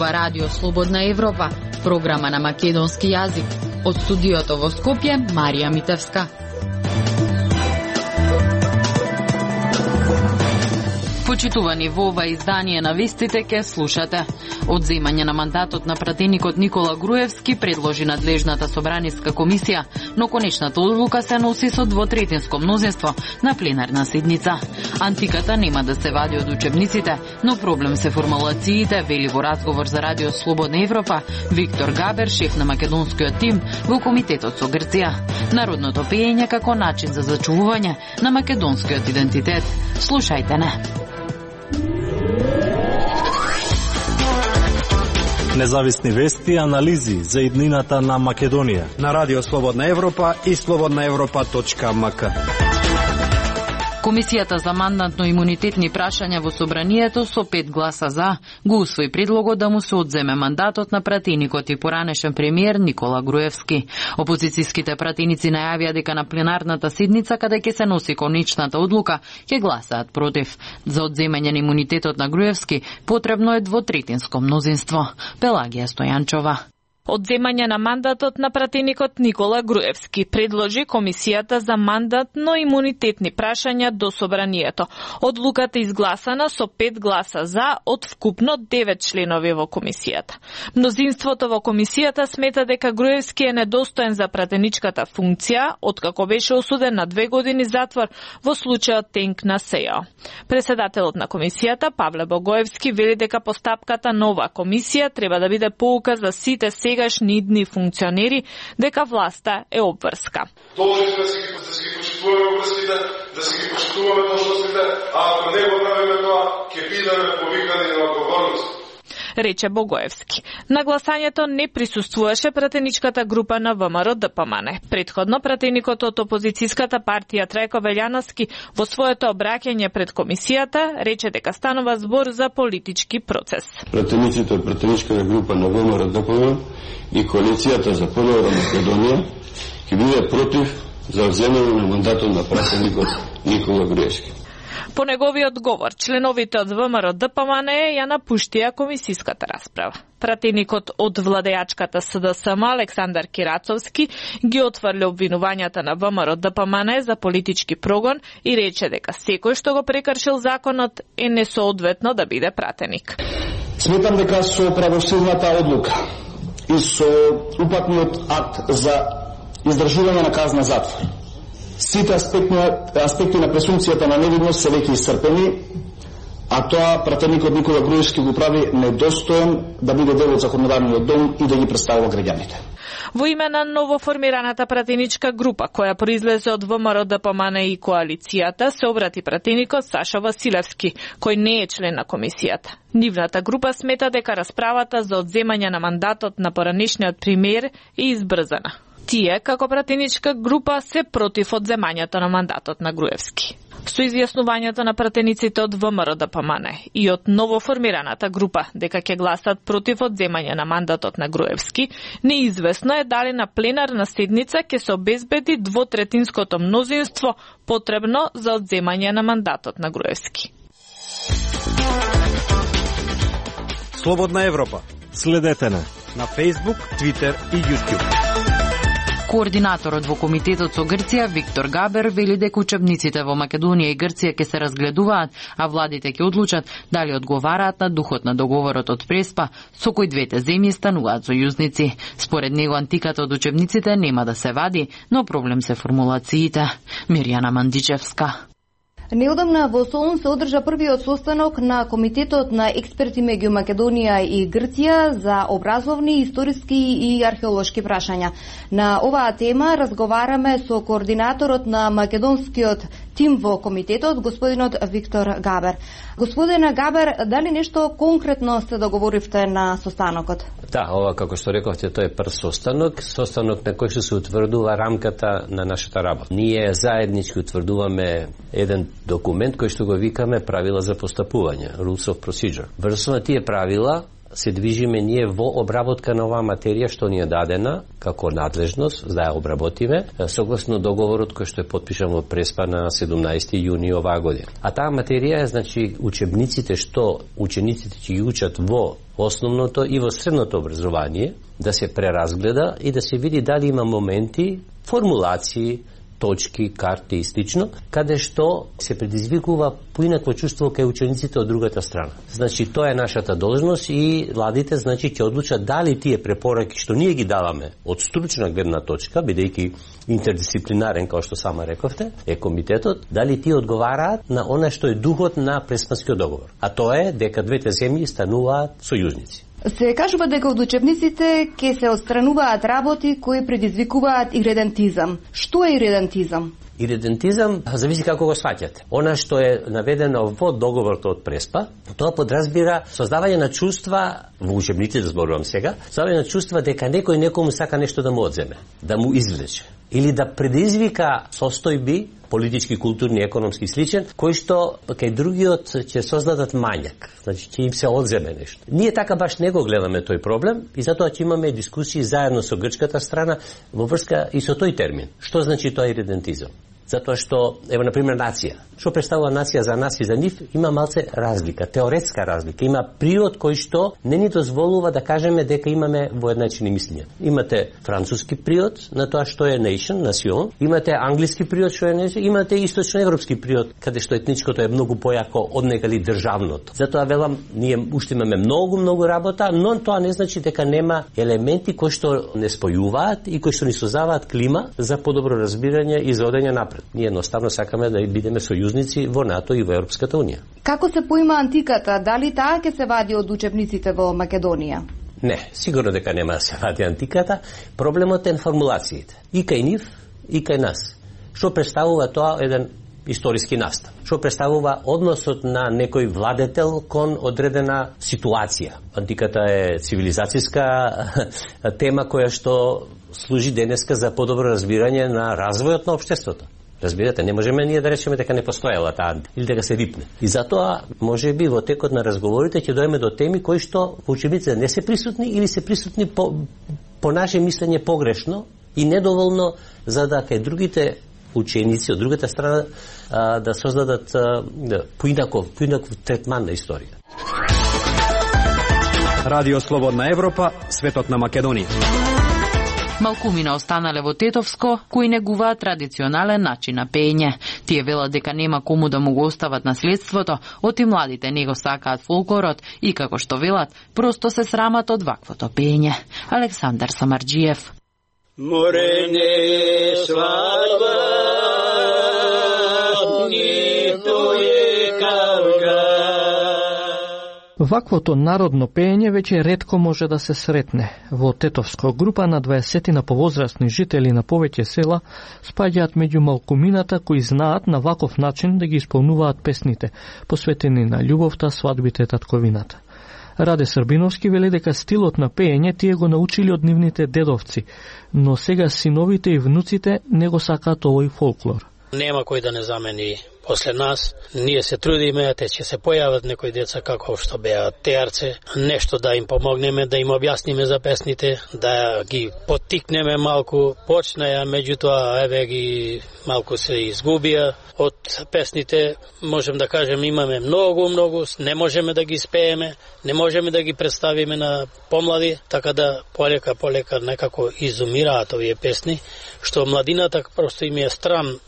Ова радио Слободна Европа, програма на македонски јазик. Од студиото во Скопје, Марија Митевска. Почитувани, во ова издание на вестите ке слушате. Одземање на мандатот на пратеникот Никола Груевски предложи надлежната собраниска комисија, но конечната одлука се носи со двотретинско мнозинство на пленарна седница. Антиката нема да се вади од учебниците, но проблем се формулациите, вели во разговор за радио Слободна Европа Виктор Габер, шеф на македонскиот тим во комитетот со Грција. Народното пеење како начин за зачувување на македонскиот идентитет. Слушајте не. Независни вести и анализи за иднината на Македонија на радио Слободна Европа и slobodnaevropa.mk. Комисијата за мандатно-имунитетни прашања во собранието со 5 гласа за го усвои предлогот да му се одземе мандатот на пратеникот и поранешен премиер Никола Груевски. Опозицијските пратеници најавија дека на пленарната седница каде ќе се носи конечната одлука ќе гласаат против. За одземање на имунитетот на Груевски потребно е двотретинско мнозинство. Пелагија Стојанчова. Одземање на мандатот на пратеникот Никола Груевски предложи Комисијата за мандатно-имунитетни прашања до собранието. Одлуката изгласана со 5 гласа за од вкупно 9 членови во комисијата. Мнозинството во комисијата смета дека Груевски е недостоен за пратеничката функција, откако беше осуден на 2 години затвор во случајот Тенк на СЕО. Преседателот на комисијата Павле Богоевски вели дека постапката на оваа комисија треба да биде поука за сите сегашни идни функционери дека власта е обврска. Должни сме да си ги почитуваме обврските, да си ги почитуваме должностите, а ако не го правиме тоа, ќе бидеме повикани на одговорност, рече Богоевски. На гласањето не присуствуваше пратеничката група на ВМРО ДПМН. Претходно пратеникот од опозицијската партија Трајко Велјановски во своето обраќање пред комисијата рече дека станува збор за политички процес. Пратениците од пратеничката група на ВМРО ДПМН и коалицијата за понова Македонија ќе биде против за земјање на мандатот на пратеникот Никола Груевски. По неговиот говор, членовите од ВМРО ДПМН ја напуштија комисиската расправа. Пратеникот од владеачката СДСМ Александар Кирацовски ги отврли обвинувањата на ВМРО ДПМН за политички прогон и рече дека секој што го прекршил законот е несоодветно да биде пратеник. Сметам дека со правосудната одлука и со упатниот акт за издржување на казна затвор сите аспекти на пресумпцијата на невидност се веќе исцрпени, а тоа пратеникот Никола Груевски го прави недостоен да биде дел од законодавниот дом и да ги представува граѓаните. Во име на новоформираната пратеничка група, која произлезе од ВМРО ДПМН и коалицијата, се обрати пратеникот Сашо Василевски, кој не е член на комисијата. Нивната група смета дека расправата за одземање на мандатот на поранешниот премиер е избрзана. Тие, како пратеничка група, се против одземањето на мандатот на Груевски. Со изјаснувањето на пратениците од ВМРО ДПМН и од новоформираната група дека ќе гласат против одземање на мандатот на Груевски, неизвестно е дали на пленарна седница ќе се обезбеди двотретинското мнозинство потребно за одземање на мандатот на Груевски. Слободна Европа. Следете на Facebook, Twitter и YouTube. Координаторот во комитетот со Грција Виктор Габер вели дека учебниците во Македонија и Грција ќе се разгледуваат, а владите ќе одлучат дали одговараат на духот на договорот од Преспа со кој двете земји стануваат сојузници. Според него антиката од учебниците нема да се вади, но проблем се формулациите. Мирјана Мандичевска. Неодамна во Солун се одржа првиот состанок на Комитетот на експерти меѓу Македонија и Грција за образовни, историски и археолошки прашања. На оваа тема разговараме со координаторот на македонскиот тим во комитетот, господинот Виктор Габер. Господине Габер, дали нешто конкретно се договоривте на состанокот? Да, ова, како што рековте, тоа е прв состанок на кој што се утврдува рамката на нашата работа. Ние заеднички утврдуваме еден документ кој што го викаме правила за постапување, Rules of Procedure. Врз на тие правила се движиме ние во обработка на оваа материја што ни е дадена како надлежност да ја обработиме согласно договорот кој што е подпишан во Преспа на 17 јуни оваа година. А таа материја е, значи, учебниците што учениците ќе ги учат во основното и во средното образование да се преразгледа и да се види дали има моменти, формулации, точки, карти и слично, каде што се предизвикува поинакво чувство кај учениците од другата страна. Значи, тоа е нашата должност и владите, значи, ќе одлучат дали тие препораки што ние ги даваме од стручна гледна точка, бидејќи интердисциплинарен, како што сама рековте, е комитетот, дали тие одговараат на она што е духот на Преспанскиот договор. А тоа е дека двете земји стануваат сојузници. Се кажува дека од учебниците ќе се отстрануваат работи кои предизвикуваат иредентизам. Што е иредентизам? Иредентизам зависи како го сваќате. Она што е наведено во договорот од Преспа, тоа подразбира создавање на чувства во учебниците, зборувам сега, создавање на чувства дека некој некому сака нешто да му одземе, да му извлече или да предизвика состојби политички, културни, економски и сличен, кои што кај другиот ќе создадат мањак, значи ќе им се одземе нешто. Ние така баш не го гледаме тој проблем и затоа ќе имаме дискусии заедно со грчката страна во врска и со тој термин. Што значи тоа иредентизам? Затоа што, ево, например, нација. Што представува нација за нас и за нив, има малце разлика, теоретска разлика. Има природ кој што не ни дозволува да кажеме дека имаме воедначени мислења. Имате француски природ на тоа што е nation, национ, имате англиски природ што е nation, имате источноевропски природ, каде што етничкото е многу појако од некали државното. Затоа велам, ние уште имаме многу работа, но тоа не значи дека нема елементи кои што не спојуваат и кои што ни создаваат клима за подобро разбирање и за одење напред. Ние едноставно сакаме да бидеме сојузници во НАТО и во Европската унија. Како се поима антиката? Дали таа ќе се вади од учебниците во Македонија? Не, сигурно дека нема да се вади антиката. Проблемот е формулациите. И кај нив, и кај нас. Што представува тоа еден историски настав? Што представува односот на некој владетел кон одредена ситуација? Антиката е цивилизацијска тема која што служи денеска за подобро разбирање на развојот на општеството. Разбирате, не можеме ние да речеме дека не постоела таа или дека се рипне. И затоа, можеби во текот на разговорите ќе дојдеме до теми кои што во учебниците не се присутни или се присутни по наше мислење погрешно и недоволно за да кај другите ученици од другата страна да создадат поинаков третман на историја. Радио Слободна Европа, светот на Македонија. Малкумина останале во Тетовско, кои негуваат традиционален начин на пеење. Тие велат дека нема кому да му го остават наследството, оти младите не го сакаат фолклорот и, како што велат, просто се срамат од ваквото пеење. Александар Самарџиев. Морене свадба, нито е калга. Ваквото народно пеење веќе ретко може да се сретне. Во Тетовско група на 20 на повозрастни жители на повеќе села спаѓаат меѓу малкумината кои знаат на ваков начин да ги исполнуваат песните, посветени на љубовта, свадбите, татковината. Раде Србиновски вели дека стилот на пеење тие го научили од нивните дедовци, но сега синовите и внуците не го сакаат овој фолклор. Нема кој да не замени после нас. Ние се трудиме, те ќе се појават некои деца како што беа теарце, нешто да им помогнеме, да им објасниме за песните, да ги поттикнеме малку. Почнаја, меѓутоа еве ги малку се изгубија од песните. Можем да кажем имаме многу, не можеме да ги спееме, не можеме да ги представиме на помлади, така да полека некако изумираат овие песни, што младината просто им е стран.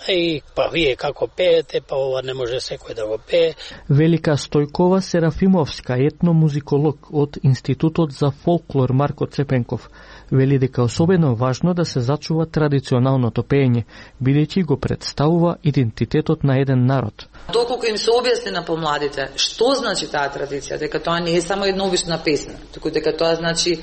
Па вие како пеете, па ова не може секој да го пее. Велика Стојкова Серафимовска, етномузиколог од Институтот за фолклор Марко Цепенков, вели дека особено важно да се зачува традиционалното пеење, бидејќи го представува идентитетот на еден народ. Доколку им се објасни на помладите што значи таа традиција, дека тоа не е само едновична песна, туку дека тоа значи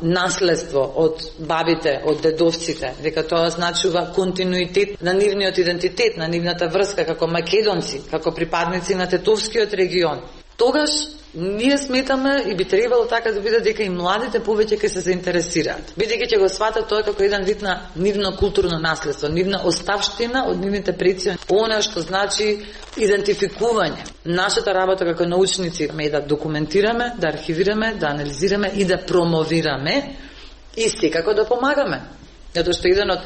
наследство од бабите, од дедовците, дека тоа значува континуитет на нивниот идентитет, на нивната врска како македонци, како припадници на Тетовскиот регион. Тогаш Ние сметаме и би требало така да биде дека и младите повеќе ќе се заинтересираат. Бидејќи ќе го сватат тоа како еден вид на нивно културно наследство, нивна оставштина од нивните предци, она што значи идентификување. Нашата работа како научници е да документираме, да архивираме, да анализираме и да промовираме и секако да помагаме. Затоа што еден од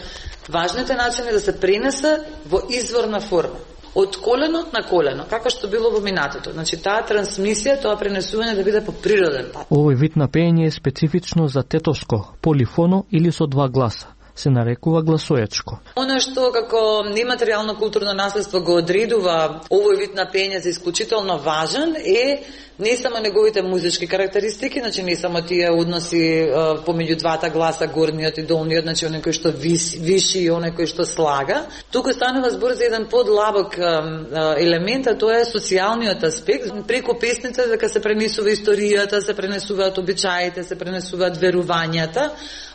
важните начини да се пренесе во изворна форма. Од колено на колено, како што било во минатото. Значи таа трансмисија, тоа пренесување да биде по природен пат. Овој вид на пеење е специфично за тетовско, полифоно или со два гласа. Се нарекува гласоечко. Оно што како нематеријално културно наследство го одредува овој вид на пеење за исклучително важен е не само неговите музички карактеристики, значи не само тие односи помеѓу двата гласа, горниот и долниот, значи оној кој што виши и оној кој што слага. Туку станува збор за еден подлабок елемент, а тоа е социјалниот аспект. Преку песните дека се пренесува историјата, се пренесуваат обичаите, се пренесуваат верувањата,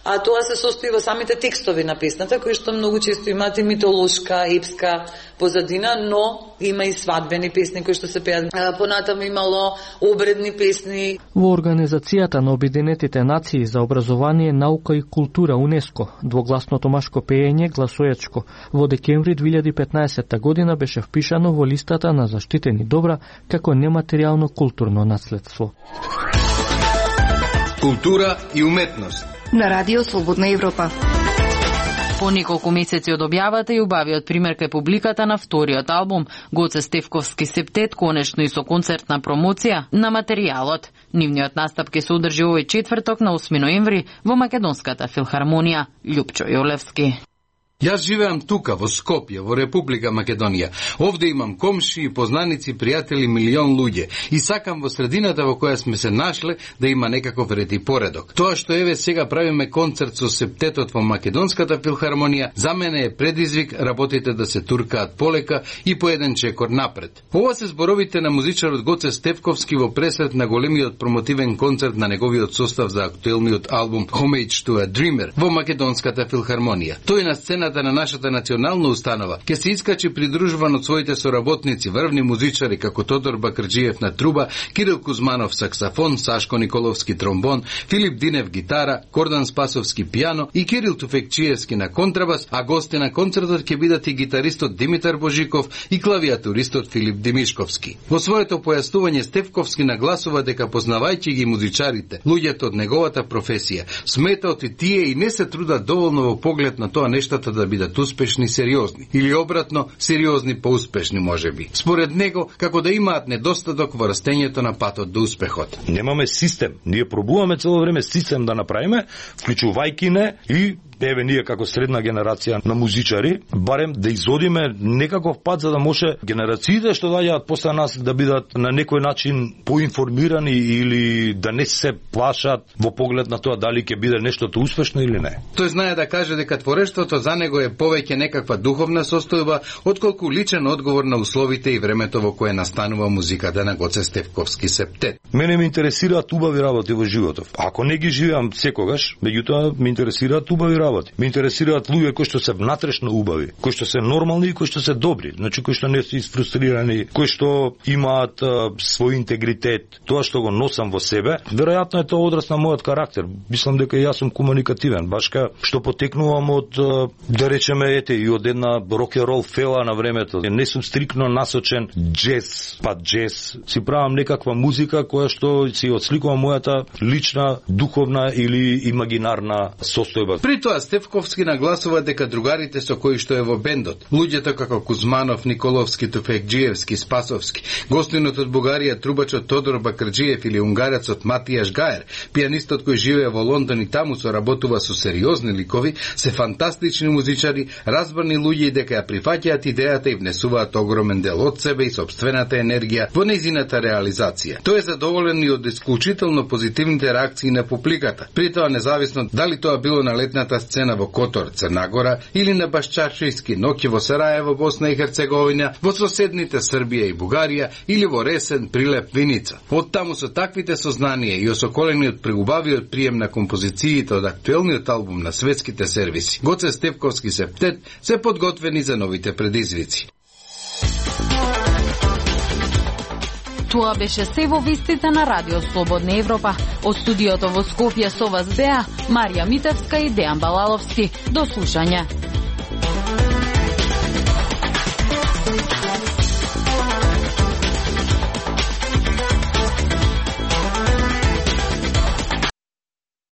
а тоа се состои во самите текстови на песната, кои што многу често имаат и митолошка, епска позадина, но има и свадбени песни кои што се пеат. Понатаму имало обредни песни. Во Организацијата на Обединетите нации за образование, наука и култура УНЕСКО, двогласното машко пеење гласоечко во декември 2015 година беше впишано во листата на заштитени добра како нематеријално културно наследство. Култура и уметност на Радио Слободна Европа. По неколку месеци од објавата и убавиот пример кај публиката на вториот албум, Гоце Стефковски септет, конечно и со концертна промоција на материјалот. Нивниот настап ќе се одржи овој четврток на 8 ноември во Македонската филхармонија. Љупчо Јолевски. Јас живеам тука, во Скопје, во Република Македонија. Овде имам комши и познаници, пријатели, милион луѓе. И сакам во средината во која сме се нашле да има некаков ред и поредок. Тоа што еве сега правиме концерт со септетот во Македонската филхармонија, за мене е предизвик работите да се туркаат полека и по еден чекор напред. Ова се зборовите на музичарот Гоце Стефковски во пресрет на големиот промотивен концерт на неговиот состав за актуелниот албум Homage to a Dreamer во Македонската филхармонија. Тој на сцената на нашата национална установа ќе се искачи придружуван од своите соработници, врвни музичари како Тодор Бакрџиев на труба, Кирил Кузманов саксафон, Сашко Николовски тромбон, Филип Динев гитара, Кордан Спасовски пијано и Кирил Туфекчиевски на контрабас, а гости на концертот ќе бидат и гитаристот Димитар Божиков и клавиатуристот Филип Димишковски. Во своето појаснување Стефковски нагласува дека познавајќи ги музичарите, луѓето од неговата професија, сметаат и тие и не се трудат доволно во поглед на тоа нештата да бидат успешни сериозни, или обратно, сериозни поуспешни можеби. Според него, како да имаат недостаток во растењето на патот до успехот. Немаме систем. Ние пробуваме цело време систем да направиме, вклучувајќи не и еве ние како средна генерација на музичари, барем да изодиме некаков пат за да може генерациите што доаѓаат после нас да бидат на некој начин поинформирани или да не се плашат во поглед на тоа дали ќе биде нештото успешно или не. Тој знае да каже дека творештвото за него е повеќе некаква духовна состојба отколку личен одговор на условите и времето во кое настанува музиката на Гоце Стефковски септет. Мене ме интересираат убави работи во животот. Ако не ги живеам секогаш, меѓутоа ме интересираат убави работи. Ме интересираат луѓе кои што се внатрешно убави, кои што се нормални и кои што се добри, значи кои што не се изфрустрирани, кои што имаат свој интегритет, тоа што го носам во себе. Веројатно е тоа одраз на мојот карактер. Мислам дека јас сум комуникативен, баш ка што потекнувам од да речеме и од една рок-н-рол фела на времето. Не сум стрикно насочен джез, па джез. Си правам некаква музика која што си отсликува мојата лична, духовна или имагинарна состојба. При тоа Стефковски нагласува дека другарите со кои што е во бендот, луѓето како Кузманов, Николовски, Туфекџиевски, Спасовски, гостинот од Бугарија трубачот Тодор Бакрџиев или унгарецот Матијаш Гаер, пијанистот кој живее во Лондон и таму соработува со сериозни ликови, се фантастични музичари, разбрани луѓе и дека ја прифаќаат идејата и внесуваат огромен дел од себе и собствената енергија во нејзината реализација. Тој е задоволен и од исклучително позитивните реакции на публиката. При тоа независно дали тоа било на летната сцена во Котор, Црна Гора или на Башчаршијски ноќи во Сараево, Босна и Херцеговина, во соседните Србија и Бугарија или во Ресен, Прилеп, Виница. Од таму со таквите сознанија и осоколени од преубавиот прием на композициите од актуелниот албум на светските сервиси, Гоце Стефковски септет се подготвени за новите предизвици. Тоа беше се во вестите на Радио Слободна Европа. Од студиото во Скопје со вас беа Марија Митевска и Дејан Балаловски. До слушање.